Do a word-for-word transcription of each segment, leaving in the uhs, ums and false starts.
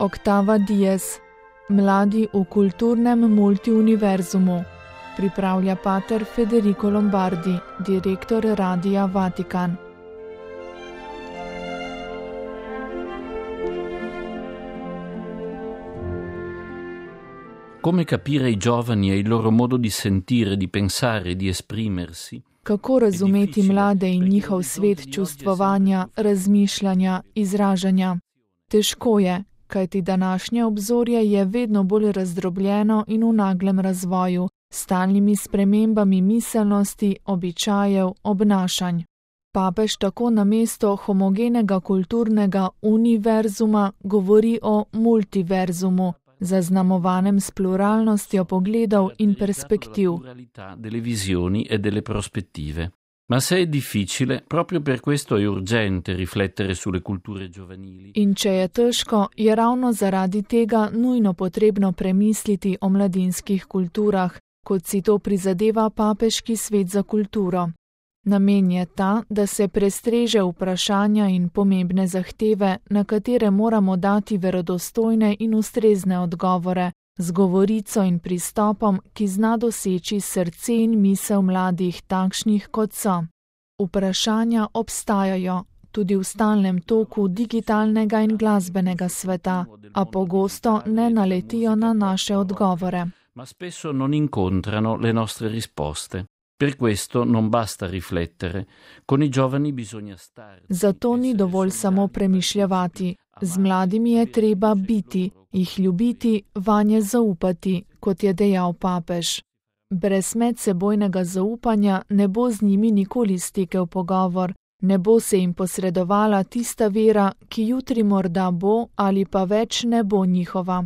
Octava Dies. Mladi v kulturnem multiuniverzumu. Pripravlja pater Federico Lombardi, direktor Radia Vatikan. Come capire ai giovani e il loro modo di sentire, di pensare, di esprimersi? Kako razumeti mlade in njihov svet čustvovanja, razmišljanja, izražanja? Težko je, kajti današnje obzorje je vedno bolj razdrobljeno in v naglem razvoju, s stalnimi spremembami miselnosti, običajev, obnašanj. Papež tako namesto homogenega kulturnega univerzuma govori o multiverzumu, zaznamovanem s pluralnostjo pogledov in perspektiv. Delle visioni e delle prospettive. Ma se è difficile, proprio per questo è urgente riflettere sulle culture giovanili. In če je težko, je ravno zaradi tega nujno potrebno premisliti o mladinskih kulturah, kot si to prizadeva papeški svet za kulturo. Namen je ta, da se prestreže vprašanja in pomembne zahteve, na katere moramo dati verodostojne in ustrezne odgovore, z govorico in pristopom, ki zna doseči srce in misel mladih takšnih, kot so. Vprašanja obstajajo, tudi v stalnem toku digitalnega in glasbenega sveta, a pogosto ne naletijo na naše odgovore. Ma spesso non incontrano le nostre risposte. Per questo non basta riflettere. Con i giovani bisogna stare. Zato ni dovolj samo premišljati. Z mladimi je treba biti, jih ljubiti, vanje zaupati, kot je dejal papež. Brez medsebojnega zaupanja ne bo z njimi nikoli stekel pogovor, ne bo se jim posredovala tista vera, ki jutri morda bo ali pa več ne bo njihova.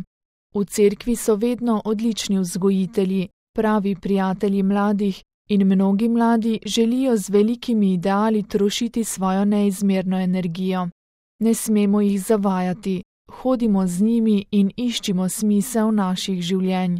V cerkvi so vedno odlični vzgojitelji, pravi prijatelji mladih, in mnogi mladi želijo z velikimi ideali trošiti svojo neizmerno energijo. Ne smemo jih zavajati, hodimo z njimi in iščimo smisel naših življenj.